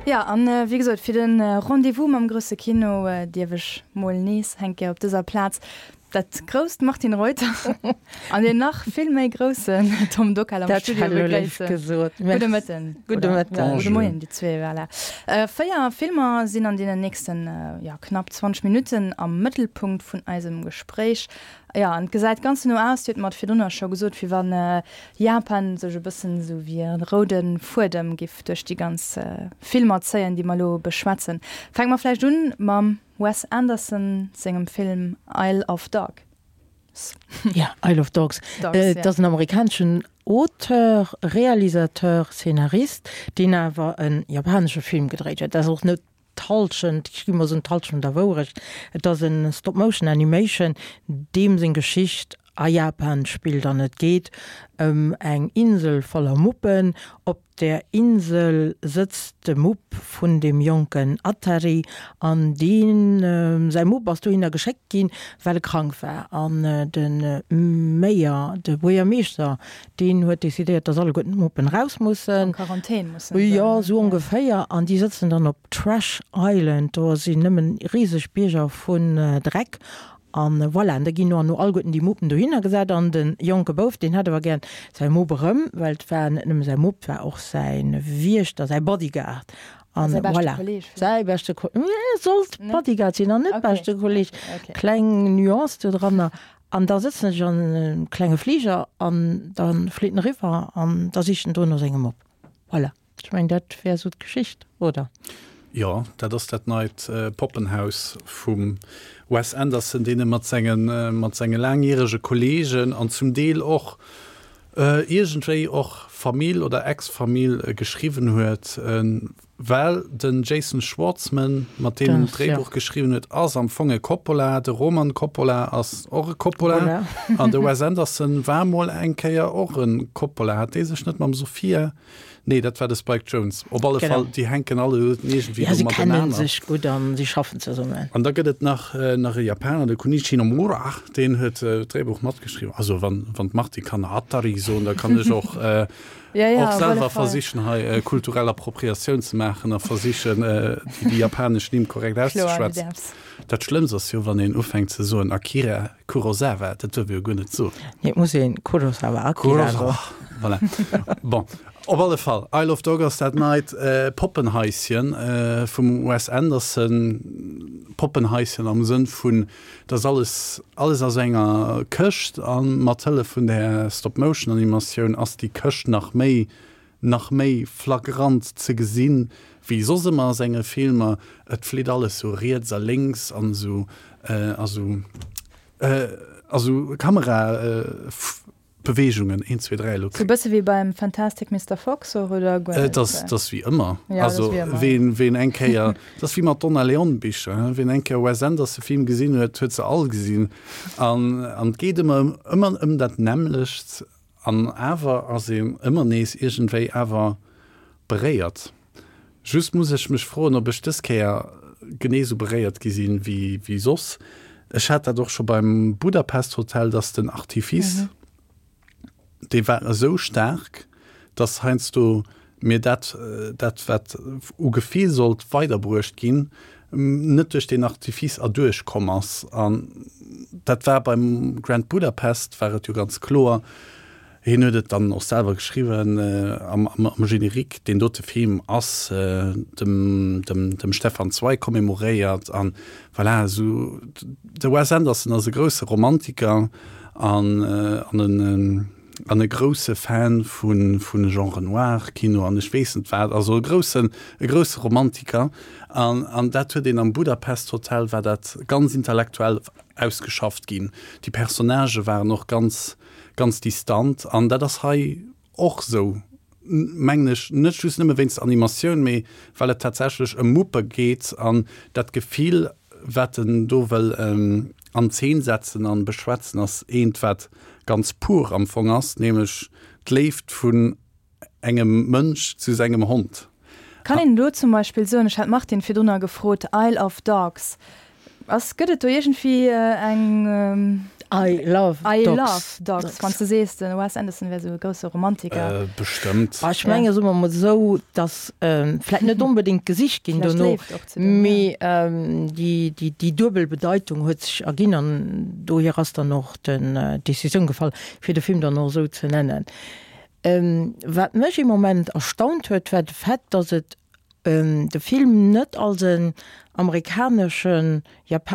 Ja, an wéi gesot, fir de Rendez-vous mam grousse Kino dierf ech mol nees eng Kéier op dëser Plaz dat grousst Martine Reuter an deen nach vill méi groussen Tom Dockal am Studio begréissen. Gudde Mëtten. Gudde Mëtten. Gudde Moien, déi zwee. Voilà. 4 Filmer sinn an deenen nächsten, ja, knapp 20 Minutten am Mëttelpunkt vun eisem Gespréich. Jo, an et gesäit ganz no aus, Dir hutt mer et virdrunner scho gesot, wéi wann Japan sech e bëssen esou wéi e roude Fuedem giff duerch déi ganz Filmer zéien, déi mer elo beschwätzen. Fänke mer vläicht un mam Wes Anderson sengem Film Isle of Dogs. Ja, Isle of Dogs. Et ass en amerikaneschen Auteur, Realisateur, Szenarist, deen awer e japanesche Film gedréit huet. Dat ass och net d'Hallschent, ech gi mol soen, d'Hallschent der Wourecht. Et ass e Stop-Motion-Animation, deem seng Geschicht a Japan spillt an et geet ëm eng Insel voller Muppen. Op där Insel sëtzt de Mupp vun deem jonken Atari an deen säi Mupp ass dohinner geschéckt ginn, well e krank war. An de Mayor, de Buergermeeschter, Deen huet decidéiert, dass alleguerten d'Muppen raus mussen. An Quarantän mussen. Jo, sou ongeféier. An déi sëtzen dann op Trash Island. Do sinn nëmmen riseg Bierger vun Dreck. An voilà, an da ginn no an no alleguerten déi Muppen dohinner gesat. An de jonke Bouf, deen hätt awer gären säi Mupp erëm, well et war net nëmme säi Mupp, et war och säi Wiechter, säi Bodyguard. An Säi beschte voilà. Kolleg. Säi beschte Kolleg. Sollt Bodyguard sinn an net beschte Kolleg. Kleng Nuance do dranner. An da sëtzen ech an engem klenge Fliger an da flitt en eriwwer an da sicht en do no sengem Mupp. Voilà, ech mengen dat wär esou d'Geschicht, oder? Jo, dat ass dat neit Poppenhaus vum Wes Anderson, deen e mat senge mat senge laangjärege Kolleegen an zum Deel och iergendwéi och Famill oder Ex-Famill geschriwwen huet. Well den Jason Schwartzman, mat deem en d'Dréibuch geschriwwen huet, ass am Fong e Coppola, de Roman Coppola ass och e Coppola an de Wes Anderson war mol eng Kéier och e Coppola. Hat dee sech net mam Sofia? Nee, dat war de Spike Jonze. Op alle Fall, déi hänken alleguerten iergendwéi do matenaner. Ja, si kennen sech gutt an si schaffen zesummen. An da gëtt et nach nach e Japaner, de Kunichi Nomura, deen huet d'Dréibuch matgeschriwwen. Also wann d'Martine kann Atari soen, da kann ech och Ja, ja, och selwer versichen hei kulturell Appropriatioun ze maachen a versichen déi japanesch Nimm korrekt auszeschwätzen. Dat Schlëmmst ass jo wann een ufänkt ze soen Akira Kurosawa, dat duerf ee jo guer net soen. Nee, et muss een Kurosawa Akira soen. Voilà. Bon, op alle Fall, Isle of Dogs ass dat neit Poppenhaischen vum Wes Anderson. Poppenhaischen am Sënn vun Dat ass alles, alles a sou enger Këscht a mat Hëllef vun där Stop-Motion-Animatioun ass déi Këscht nach méi, nach méi flagrant ze gesinn, wéi soss ëmmer a senge Filmer. Et flitt alles sou riets a lénks an esou, a sou, a sou Kamera. Beweegungen, 1, 2, 3, elo. Sou bësse wéi beim Fantastic Mister Fox och, oder guer net? Et ass, et ass wéi ëmmer. Ja, et ass wéi ëmmer. Also, ween, ween eng Kéier, et ass wéi mat Donna Leon Bicher, hein, ween eng Kéier Wes Anderson Film gesinn huet, huet se all gesinn. An, an et geet ëmmer ëm, ëmmer ëm dat nämmlecht an awer ass een ëmmer nees iergendwéi awer beréiert. Just muss ech mech froen, ob ech dës Kéier genee sou beréiert gi sinn wéi, wéi soss. Ech hat dat och scho beim Budapest Hotel, dass den Artifice, dee war esou staark, dass heiansdo mir dat, dat wat u Gefill sollt weiderbruecht ginn, net duerch deen Artifice erduerch komm ass. An dat war beim Grand Budapest war et jo ganz kloer, Hien huet et dann och selwer geschriwwen am Générique, deen dote Film ass dem dem Stefan Zweig commemoréiert an voilà, esou. De Wes Anderson ass e grousse Romantiker an an an e grousse Fan vu vu Genre noir Kino an ech weess net wat, also e groussen e grousse Romantiker an an dat huet een am Budapest Hotel war dat ganz intellektuell ausgeschafft ginn. Déi Personnagë waren och ganz ganz distant an dat ass hei och sou, mengen ech, net just nëmme wéinst der Animatioun, mee well et tatsächlech ëm Muppe geet an dat Gefill, wat en do wëll an Zeen setzen an beschwätzen, ass eent, wat ganz pur am Fong ass, nämlech d'Léift vun engem Mënsch zu sengem Hond. Kann een elo zum Beispill soen, ech hat d'Martine virdrunner gefrot, Isle of Dogs, ass, gëtt et do iergendwéi eng. I love I dogs. love dogs. Wann s de sees, de Wes Anderson wär esou e grousse Romantiker. Bestëmmt. Ah, ech menge soe mer mol esou, datt vläit net onbedéngt gesicht ginn Vläicht dono, Léift och ze deem, ja. mee déi, déi, déi duebel Bedeitung huet sech erginn an dohier ass dann och den d'Decisioun gefall, fir de Film dann och esou ze nennen. Wat mech ee Moment erstaunt huet, war de Fait, datt et de Film net als en amerikaneschen,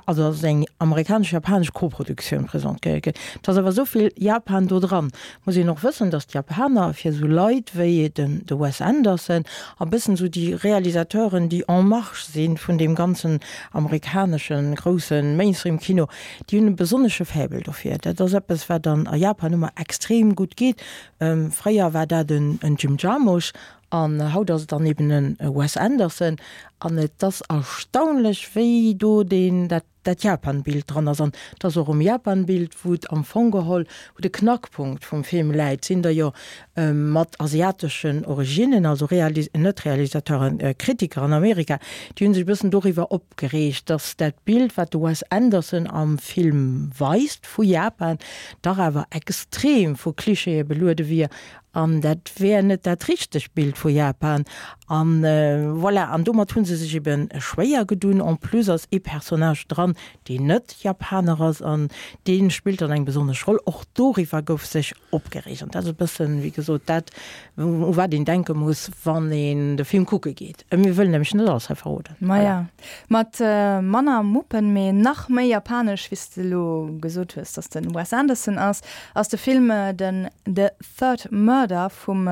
also als eng amerikanesch-japanesch Koproduktioun presentéiert gëtt. Et ass awer esou vill Japan do dran. Muss een och wëssen, datt d'Japaner fir esou Leit wéi den de Wes Anderson a bëssen esou déi Realisateuren, déi en marge si vun deem ganzen amerikanesche grousse Mainstream-Kino, déi hunn e besonnesche Faible dofir. Dat ass eppes, wat an a Japan ëmmer extrem gutt geet. Fréier war dat en Jim Jarmusch An haut ass et dann eben e Wes Anderson. An et ass erstaunlech, wéi do deen, dat, dat Japan-Bild dran ass. An et ass och um Japan-Bild, wou et am Fong geholl, wou de Knackpunkt vum Film läit. Sinn der jo mat asiateschen Originnen, also Realis-, net Realisateuren, Kritiker an Amerika, déi hu sech e bëssen doriwwer opgereegt, dass dat Bild, wat de Wes Anderson am Film weist vu Japan, dach awer extrem vu Klischeeë beluede wier An dat wär net dat richtegt Bild vu Japan. An voilà, an domat hu se sech ebe schwéier gedun. En plus ass ee Personnage dran, deen net Japaner ass, an dee spillt dann eng besonnesch Roll. Och doriwwer gouf sech opgereegt. An dat ass e bëssen, wéi gesot, dat, u wat een denke muss, wann een de Film kucke geet. Mir wëllen nämlech net alles hei verroden. Maja, mat manner Muppen, mee nach méi japanesch, wéi s de elo gesot hues, dass de Wes Anderson ass, ass de Film den The Third Murder vum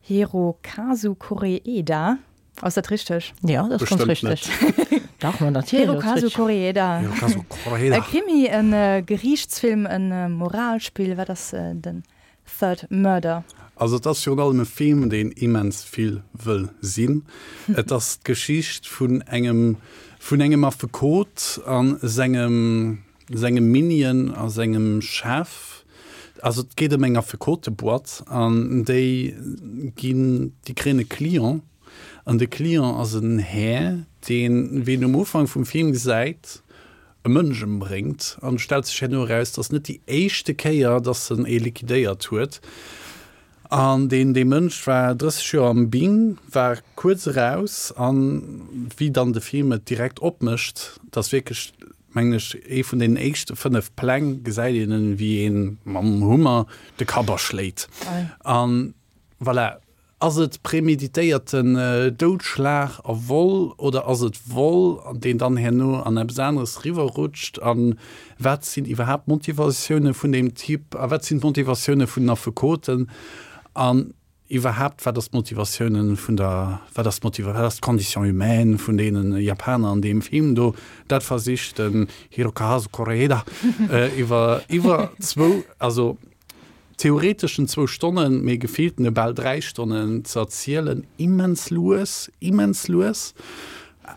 Hirokazu Koreeda. Ass dat richteg? Jo, dat ass ganz Bestëmmt richteg. net. Dach, ma natierlech ass Hirokazu richteg. Koreeda. Hirokazu Koreeda. E Krimi, e Geriichtsfilm, e Moralspill, wat ass den Third Murder? Also et ass virun allem e Film, deen immens vill wëll sinn. Et ass d'Geschicht vun engem vun engem Affekot a sengem sengem Minion a sengem Chef. Also et geet ëm eng Affekoteboîte an déi ginn, déi kréien e Client an de Client ass en Här, deen, wéi een um Ufank vum Film gesäit, e Mënsch ëmbréngt an et stellt sech herno eraus, dass net déi éischte Kéier, dass en ee liquidéiert huet. An deen dee Mënsch war 30 Joer am Bing, war kuerz eraus an wéi dann de Film et direkt opmécht, dass wierklech, mengen ech, ee vun deenen éischte 5 Pläng gesäit een en, wéi een mam Hummer de Kapp aschléit. An voilà, Ass et premeditéierten Doudschlag a Vol oder ass et Vol, deen dann herno an eppes aneres riwwerrutscht? A wat sinn iwwerhaapt d'Motivatioune vun deem Typ? A wat sinn d'Motivatioune vun den Affekoten? An iwwerhaapt, wat ass d'Motivatioune vun der, wat ass d'Motiva, wat ass d'Condition humaine vun deene Japaner an deem Film do? Dat versicht den Hirokazu Koreeda iwwer, iwwer zwou, also theoreteschen zwou Stonnen, mee gefilltene bal 3 Stonnen ze erzielen, immens lues, immens lues,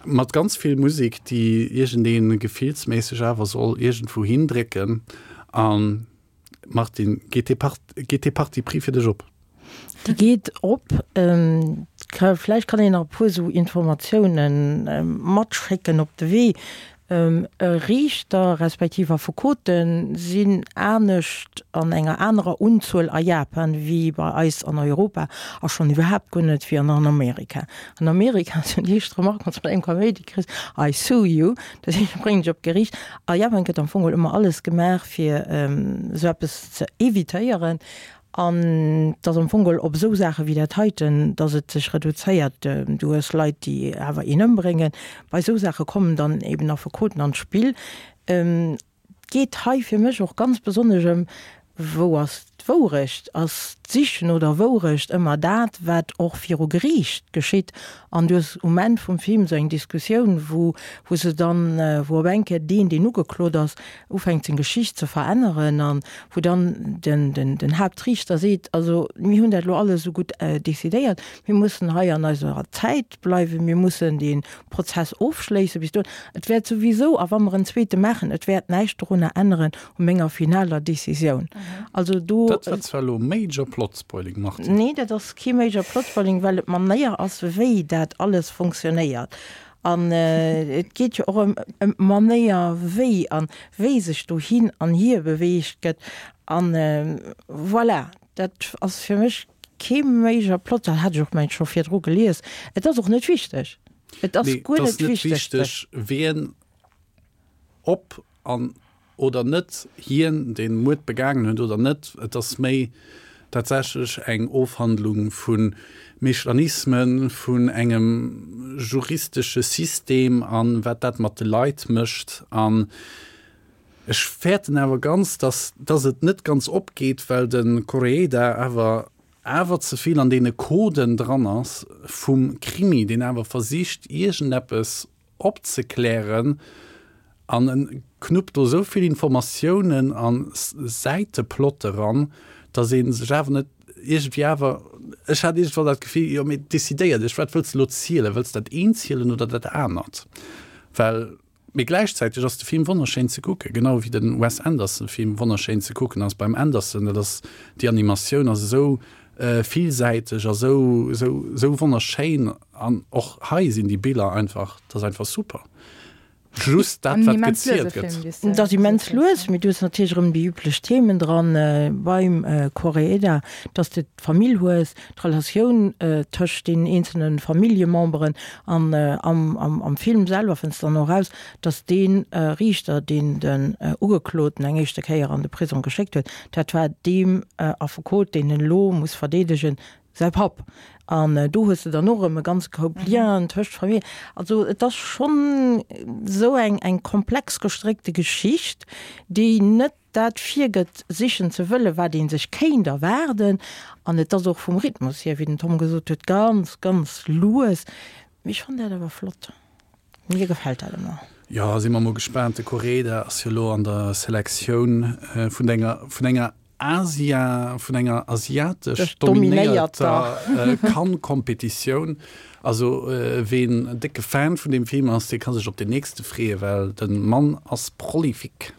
mat ganz vill Musek, déi iergendee gefillsméisseg awer soll iergendwou hindrécken. An Martine, geet dee Part, geet dee Parti pris fir dech op? Déi geet op. Vläicht kann een nach e puer esou Informatiounen matschécken op de Wee. Riichter respektiv Affekote sinn anescht an enger anerer Unzuel a Japan wéi bei eis an Europa a schonn iwwerhaapt guer net wéi an Amerika. An Amerika ass jo déi éischt Remark, wann s de mat engem Kaméidi kriss, I sue you, dat heescht, ech bréngen dech op d'Geriicht. A Japan gëtt am Fong geholl ëmmer alles gemaach, fir esou eppes ze evitéieren. An et ass am Fong geholl op esou Saache wéi dat heiten, datt et sech reduzéiert. Du hues Leit, déi awer een ëmbréngen. Bei esou Saache kommen dann eben Affekoten an d'Spill. Et geet hei fir mech och ganz besonnesch ëm, Wou ass d'Wourecht? Ass d'Sich no der Wourecht ëmmer dat, wat och viru Geriicht geschitt? An du hues um Enn vum Film esou eng Diskussioun, wou wou se dann, wou op eng Kéier deen, deen ugeklot ass, ufänkt seng Geschicht ze veränneren an wou dann den, den, den Haaptriichter seet, also mir hunn dat elo alles esou gutt decidéiert, mir mussen hei an eiser Zäit bleiwen, mir mussen dee Prozess ofschléissen bis dohin, et wäert souwisou, a wa mer en zweete maachen, et wäert näischt dorunner änneren u menger finaler Décisioun. Also do. Dat war zwar elo major plot spoiling, Martine. Nee, dat ass kee major plot spoiling, well et d'Manéier ass, wéi dat alles funktionéiert. An et geet jo och ëm ëm d'Manéier wéi an wéi sech do hin an hier beweegt gëtt. An voilà, dat ass fir mech kee major Plot, dat hat ech och mengt scho virdru gelies. Et ass och net wichteg. Et ass guer net wichteg. Wien ob an oder net hien dee Muerd begaangen huet oder net. Et ass méi tatsächlech eng Ofhandlung vu Mechanismen, vun engem juristesche System a wat dat mat de Leit mécht. An ech fäerten awer ganz, dass dass et net ganz opgeet, well de Koreeda awer awer ze vill an deene Coden dran ass vum Krimi, deen awer versicht iergendeppes opzeklären an en knuppt do esou vill Informatiounen a Säiteplotte ran, dass ee sech awer net iergendwéi awer, ech hat iergendwann dat Gefill, jo mee decidéier dech, wat wëlls de elo zielen, wëlls de dat eent zielen oder dat anert? Well, mee gläichzäiteg ass de Film wonnerschéin ze kucken, genau wéi de Wes Anderson Film wonnerschéin ze kucken ass. Beim Anderson, dat ass, déi Animatioun ass esou villsäiteg a sou, sou, sou wonnerschéin an och hei sinn déi Biller einfach, dat ass einfach super. Just dat, wat gezielt gëtt. Et ass immens lues, mee du hues natierlech erëm déi üblech Themen dran beim Koreeda, dass de d'Famill hues, d'Relatioun tëscht den eenzelne Familljememberen an am Film selwer fënns de dann och eraus, dass dee Riichter, deen den Ugekloten eng éischte Kéier an de Prisong geschéckt huet, Dat war deem Affekot, deen en elo muss verdeedegen, säi Papp. An do hues de dann och erëm e ganze Koup Lienen tëscht Familljen. Also et ass schonn esou eng, eng komplex gestréckte Geschicht, déi net dat virgëtt, sichen ze wëllen, wat ee sech kéint erwaarden. An et ass och vum Rhythmus hier, wéi den Tom gesot huet, ganz, ganz lues. Mee ech fannen dat awer flott. Mir gefält dat ëmmer. Jo, si mer mol gespaant. De Koreeda ass jo elo an der Selektioun vun enger, vun enger Asia, vun enger asiatesch dominéierter Cannes-Competitioun. Also ween décke Fan vun deem Film ass, dee ka sech op deen nächste freeë, well de Mann ass prolifique.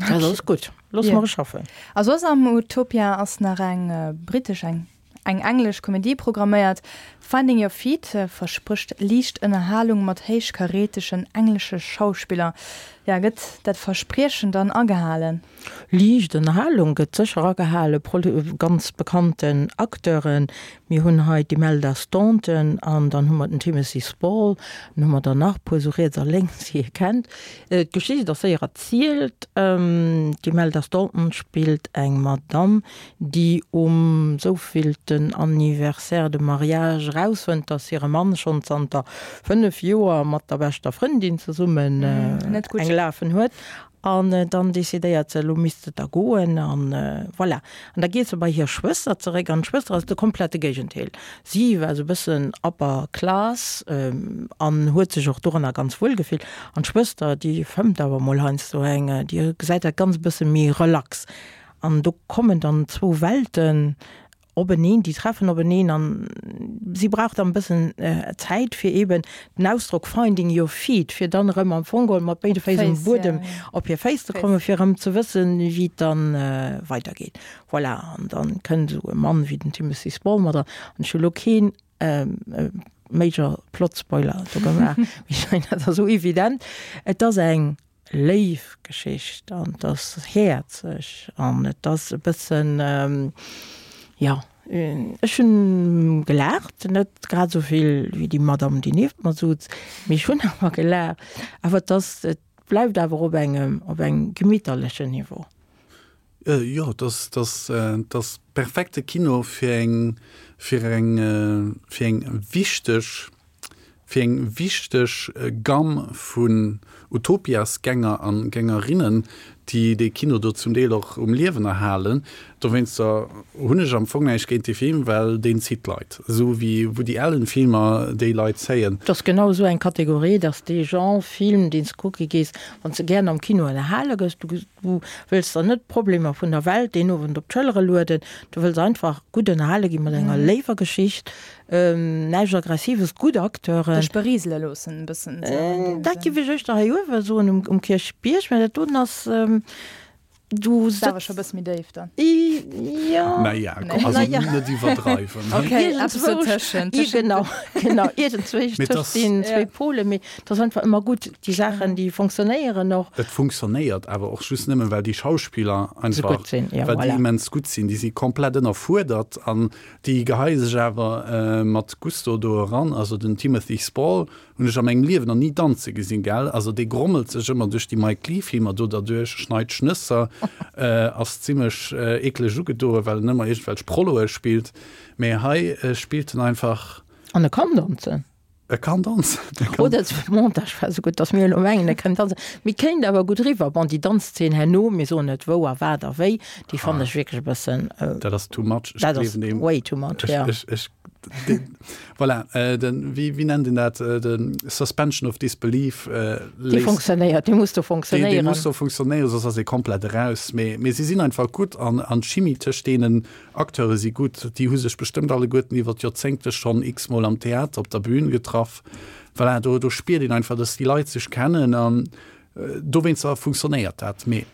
Dat ass gutt. Loosse mer e schaffen. A soss am Utopia ass nach eng britesch, eng Eng englesch Komedie programméiert, Finding Your Feet versprécht liicht Ënnerhalung mat héichkarätegen englesche Schauspiller. Jo, gëtt dat Verspriechen dann agehalen? Liicht Ënnerhalung gëtt sécher agehalen, ganz bekannten Acteuren. Mir hunn hei d'Imelda Staunton an dann hu mer den Timothy Spall, dann hu mer der nach e puer esou riets a lénks, déi ee kennt. D'Geschicht ass séier erzielt. D'Imelda Staunton spillt eng Madamm, déi um souvillten Anniversaire de mariage erausfënnt, dass hire Mann schonn zanter 5 Joer mat der beschter Frëndin zesummen eng lafen huet. An dann decidéiert se, elo misst et da goen. An voilà. An da geet se bei hir Schwëster zeréck. An d'Schwëster ass de komplette Géigendeel. Si war esou e bëssen upper class an huet sech och doranner ganz wuel gefillt. An d'Schwëster, déi fëmmt awer mol heiansdo eng, déi gesäit dat Ganzt e bësse méi relax. An do kommen dann zwou Welten openeen, déi treffen openeen an si brauch dann e bëssen Zäit fir eeben den Ausdrock finding your feet, fir dann erëm am Fong geholl mat béide Féiss um Buedem op hir Féiss ze kommen, fir erëm ze wëssen, wéi et dann weidergeet. Voilà, an dann kënnt esou e Mann wéi den Timothy Spall mat an. An ech hu lo keen major plot spoiler do gemaach, mee ech mengen, dat ass esou evident. Et ass eng léif Geschicht an et ass häerzeg an et ass e bëssen, jo, ech hunn gelaacht, net grad esou vill wéi déi Madame, déi nieft mer sutz, mee ech hunn awer gelaacht. Awer et ass, et bleift awer op engem, op engem gemitterlechen Niveau. Jo, et ass, et ass, et ass perfekte Kino fir eng, fir eng, fir eng wichteg fir eng wichteg Gamm vun Utopias-Gänger an Gängerinnen, déi dee Kino do zum Deel och um Liewen erhalen. Dowéinster hunn ech am Fong näischt géint dee Film, well deen zitt d'Leit, esou wéi Woody Allen-Filmer déi Leit zéien. Et ass genau esou eng Kategorie, dass dee Genre Film, deen s de kucke gees, wann s de gären am Kino ënnerhale gëss, du wëlls der net d'Problemer vun der Welt deen Owend op d'Schëllere lueden, du wëlls einfach gutt ënnerhale gi mat enger léiwer Geschicht, Näischt Aggressives, gutt Acteuren. Dech berisele loossen e bëssen esou an deem Dat Sënn. giff ech éischter hei uewe soen um Kierchbierg, mä dat doten ass. Du sëtz. Awer scho bësse méi déif dann. Jo. Naja, komm, also net iwwerdreiwen. Ok, eppes dotëschent. Genau, genau, iergendzwousch tëscht deenen zwéi Pole. Mee et ass einfach ëmmer gutt, déi Saachen, déi fonctionnéieren och. Et fonctionnéiert awer och just nëmmen, well déi Schauspiller einfach, well déi immens gutt sinn. Déi si komplett ënnerfuerdert an déi geheie sech awer mat Gusto do eran. Also den Timothy Spall Hunn ech a mengem Liewen nach ni danze gesinn, gell? Also dee grommelt sech ëmmer duerch déi Mike Leigh Filmer do derduerch, schneit Schnësser, ass zimmlech eekleg ugedoen, well en ëmmer iergendwelch Prolloe spillt. Mee hei spillt en einfach. An e kann danzen. E kann danzen. Oder de Montage war esou gutt, datt mir elo mengen, e kënnt danzen. Mee kéint awer gutt eriwwer. Bon, déi Danzzeen herno, mir soen net wou a wat a wéi, déi fannen ech wierklech e bëssen. Dat ass too much. Dat ass way too much, jo. Ech, Voilà, den, wéi, wéi nennt een dat, den Suspension of Disbelief. Dee funktionéiert, dee muss do funktionéieren. Dee muss do funktionéieren, soss ass ee komplett eraus. Mee, mee si sinn einfach gutt an, an d'Chimie tëscht deenen Acteure si gutt. Déi hu sech bestëmmt alleguerten iwwer d'Joerzéngte schonn x-mol am Theater op der Bühn getraff. Voilà, do, do spiert een einfach, dass déi Leit sech kennen an dowéinster funktionéiert dat. Mee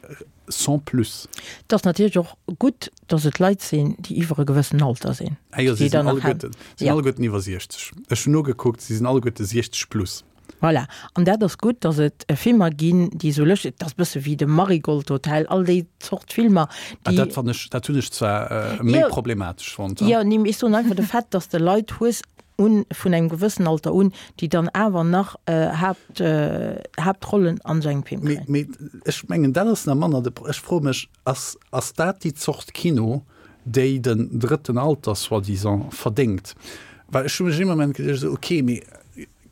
sans plus. Et ass natierlech och gutt, dass et Leit sinn, déi iwwer e gewëssen Alter sinn. Ah jo, si sinn alleguerten, sinn alleguerten iwwer 60. Ech hunn nogekuckt, si sinn alleguerte 60 plus. Voilà. An dat ass gutt, dass et Filmer ginn, déi esou lëschteg, et ass e bësse wéi de Marigold Hotel, all déi Zort Filmer, déi. Ah, dat fann ech, dat hunn ech zwar méi problematesch fonnt. Jo, nee, mee ech soen einfach de Fait, dass de Leit hues, un, vun engem gewëssen Alter un, déi dann awer nach Haapt, Haaptrollen an esou engem Film kréien. Mee, mee ech mengen, dat ass nach manner de Pro-, ech froe mech, ass, ass dat déi Zort Kino, déi den drëtten Alter soi-disant verdéngt? Well ech hu mech ee Moment geduecht, esou, okay, mee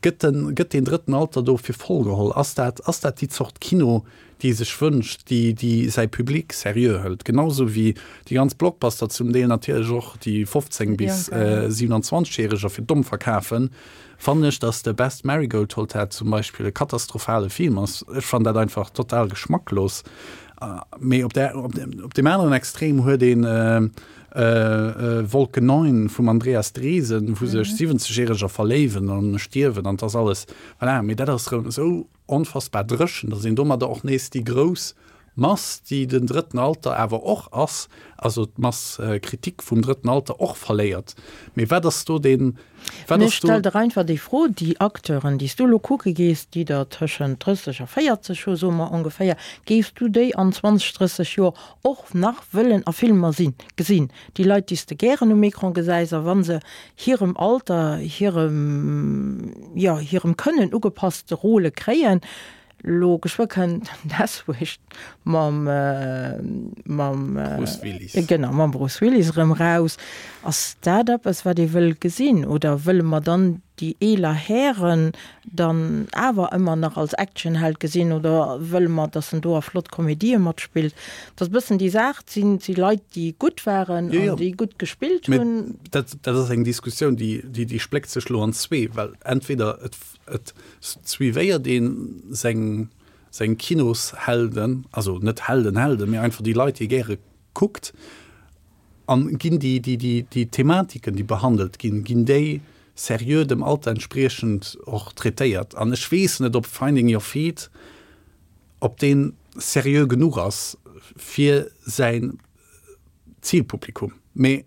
gëtt den, gëtt deen drëtten Alter do fir voll geholl? Ass dat, ass dat déi Zort Kino, déi e sech wënscht, déi, déi säi Public seriö hëlt, genau sou wéi déi ganz Blockbuster zum Deel natierlech och déi 15 bis 27 Järeger fir domm verkafen, fannen ech, dass de Best Marigold Hotel zum Beispill e katastrophale Film ass. Ech fannen dat einfach total geschmacklos. Mee op där, op deem aneren Extrem huet een Wolke 9 vum Andreas Dresen, wou sech 70 Järeger verléiwen an stierwen an 't ass alles, voilà, mee dat ass erëm esou onfassbar dréchen, datt een domadder och nees déi grouss Mass, déi den drëtten Alter awer och ass, also d'Mass critique vum drëtten Alter och verléiert. Mee wat ass do deen, wat ass do. Stell der einfach déi Fro, déi Acteuren, déi s du elo kucke gees, déi der tëschent 30 a 40 hu, soe mer ongeféier, géifs du déi an 20, 30 Joer och nach wëllen a Filmer sinn, gesinn? Déi Leit, déi s de gären um Ecran gesäis, a wa se hirem Alter, hirem, jo, hirem Kënnen ugepasste Rôle kréien. Elo geschwë kënnt Death Wish mam, mam, Bruce Willis. Genau, mam Bruce Willis erëm raus. Ass dat eppes, wat ee wëll gesinn? Oder wëlle mer dann déi eeler Hären dann awer ëmmer nach als Actionheld gesinn? Oder wëlle mer, dass en do a flott Komedië matspillt? Dat ass e bëssen déi Saach. Et sinn si Leit, déi gutt waren an déi gutt gespillt hunn. Dat, dat ass eng Diskussioun, déi, déi, déi spléckt sech elo an zwee, well entweder et, et suivéiert ee seng, seng Kinoshelden, also net Helden, Helden, mee einfach déi Leit, déi ee gäre kuckt, an ginn déi, déi, déi, déi Thematiken, déi behandelt ginn, ginn déi seriö dem Alter entspriechend och traitéiert? An ech weess net, ob Finding Your Feet, ob dee seriö genuch ass fir säin Zilpublikum. Mee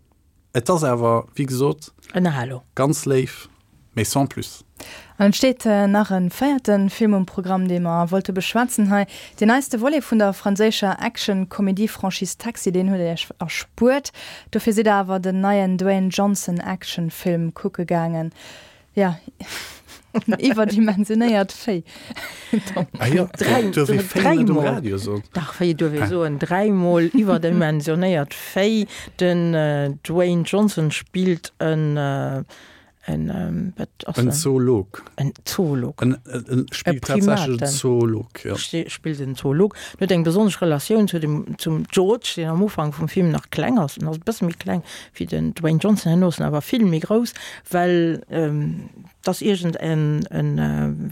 et ass awer, wéi gesot, ganz léif, mee sans plus. An et steet nach e véierte Film um Programm, dee mer wollte beschwätzen hei. Deen neiste Volet vun der franséischer Action-Komedie-Franchise Taxi, deen huet Iech erspuert. Dofir sidd der awer den neien Dwayne Johnson Action-Film kucke gaangen. Jo, iwwerdimensionéiert Véi. Ah jo, duerf ee Véi net um Radio soen? Dach, Véi duerf ee soen. Dräimol iwwerdimensionéiert Véi. Den Dwayne Johnson spillt en En, wat ass en? En Zoolog. En Zoolog. En, en spillt tatsächlech en Zoolog, jo. Spillt en Zoolog. En huet eng besonnesch Relatioun zu dem, zum George, deen am Ufank vum Film nach kleng ass. En ass e bësse méi kleng wéi den Dwayne Johnson, herno ass en awer vill méi grouss, well et ass iergend en, en,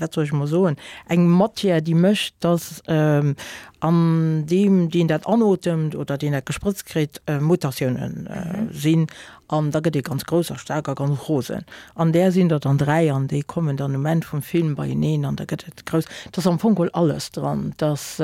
wat soll ech emol soen, eng Matière, déi mécht, dass an deem, deen dat anotemt oder deen dat gesprëtzt kritt, Mutatiounen sinn. An da gëtt ee ganz grouss a staark a ganz rosen. An där sinn der dann 3 an déi kommen dann um Enn vum Film beieneen an da gëtt et grouss. Et ass am Fong geholl alles dran. Et ass.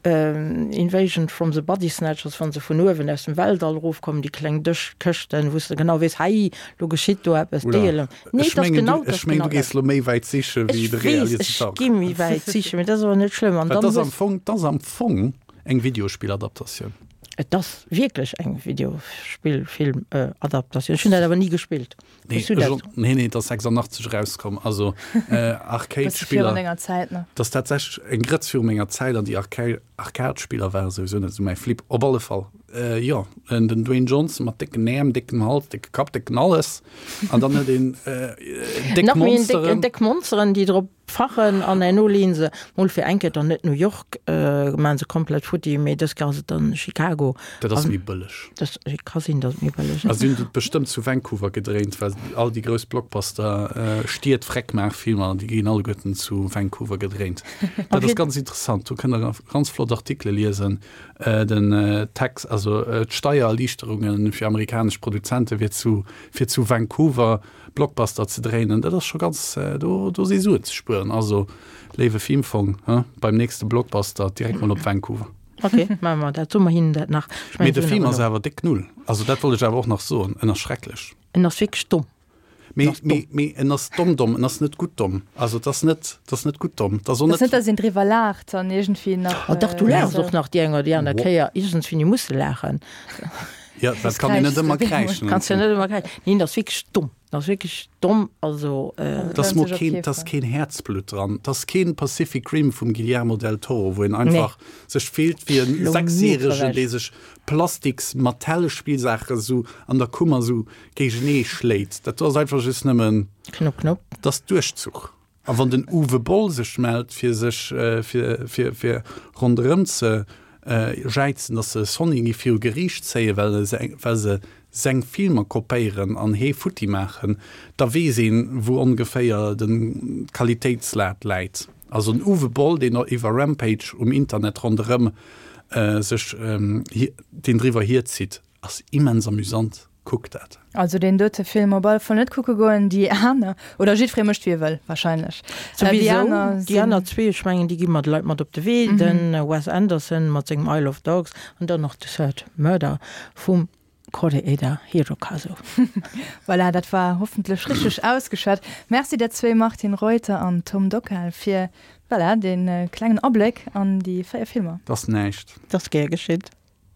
Invasion from the Body Snatchers, wa se vun uewen aus dem Weltall erofkommen, déi kleng Dëschkëschten, wou s de genau weess, hei, lo geschitt do eppes. Déi Ele. Nee, et ass genau, et ass genau dat. Ech mengen, du gees lo méi wäit siche wéi de Realisateur. Ech weess, ech gi méi wäit sichen, mee dat ass awer net schlëmm. An dann hues. Dat ass am Fong eng Videospilladaptatioun. Et ass wierklech eng Videospillfilmadaptatioun. Ech hunn dat awer ni gespillt. Nee, ech och, nee, nee, et ass 86 erauskomm, also Arcade-Spiller. Virun denger Zäit nach. Dat ass tatsächlech eng Grëtz viru menger Zäit an déi Arcade-Spiller ware souwisou net esou mäi Flip. Op alle Fall, jo, den Dwayne Johnson mat décken Äerm, déckem Hals, décke Kapp, décken alles an dann huet een déck Monsteren. Déck Monsteren, déi drop Fachen an herno leeën se mol fir eng Kéier dann net New York, maan se komplett futti, mee dës Kéier ass et dann Chicago. Dat ass méi bëlleg. Dat ka sinn, datt et méi bëlleg ass. A si hunn et bestëmmt zu Vancouver gedréint, well all déi grouss Blockbuster Stied Freckmaach-Filmer, déi ginn alleguerten zu Vancouver gedréint. Dat ass ganz interessant, do kënnt der ganz flott Artikele liesen. Den Tax, also d'Steiererliichterunge fir amerikanesch Produzente fir zu fir zu Vancouver Blockbuster ze dréinen, dat ass scho ganz, do do si Suen ze spueren. Also léiwe Filmfong, he, beim nächste Blockbuster direkt mol op Vancouver. Ok, maache mer dat, soe mer hinnen dat nach. Ech mengen, Mee de se hunn Film awer ass awer déck null. Also dat wollt ech awer och nach soen, en ass schrecklech. En ass wierklech domm. Mee, En ass domm. mee, mee en ass domm domm, en ass net gutt domm. Also et ass net, et ass net gutt domm. Et ass och Et ass net, net, datt een driwwer laacht an iergendwéi nach. Oh dach, du laachs och nach déi eng oder déi aner Kéier. Iergendswéini muss de laachen. Ja, dat kann een net ëmmer kräischen. Kanns jo net ëmmer kräischen. Neen, dat ass wierklech domm. Dat ass wierklech domm. Also. Dat ass mol keen, dat ass keen Häerzblutt dran. Dat ass keen Pacific Rim vum Guillermo del Toro, wou een einfach sech fillt wéi en Sechsjäregen, dee sech plastiks Mattel-Spillsaache sou an der Kummer sou géigenee schléit. Dat do ass einfach just nëmmen. Knupp, knupp. Dat ass Duerchzuch. A wann den Uwe Boll sech mellt, fir sech fir fir ronderëm ze jäizen, datt se Sony gi viru Geriicht zéien, well se well se seng Filmer kopéieren an hee futti maachen, da weess een, wou ongeféier den d'Qualitéitslad läit. Also den Uwe Boll, deen iwwer Rampage um Internet ronderëm sech deen driwwer hierzitt, ass immens amüsant. Kuckt dat. Also deen dote Film op alle Fall net kucke goen, déi aner, oder jiddweree mécht wéi e wëll wahrscheinlech. Souwisou, déi aner zwee, ech mengen déi gi mer de Leit mat op de Wee, de Wes Anderson mat sengem Isle of Dogs an dann nach The Third Murder vum Koreeda Hirokazu. Voilà, dat war hoffentlech richteg ausgeschwat. Merci der zwéi, Martine Reuter an Tom Dockal, fir, voilà, dee klengen Abléck an déi 4 Filmer. 't ass näischt. 't ass gär geschitt.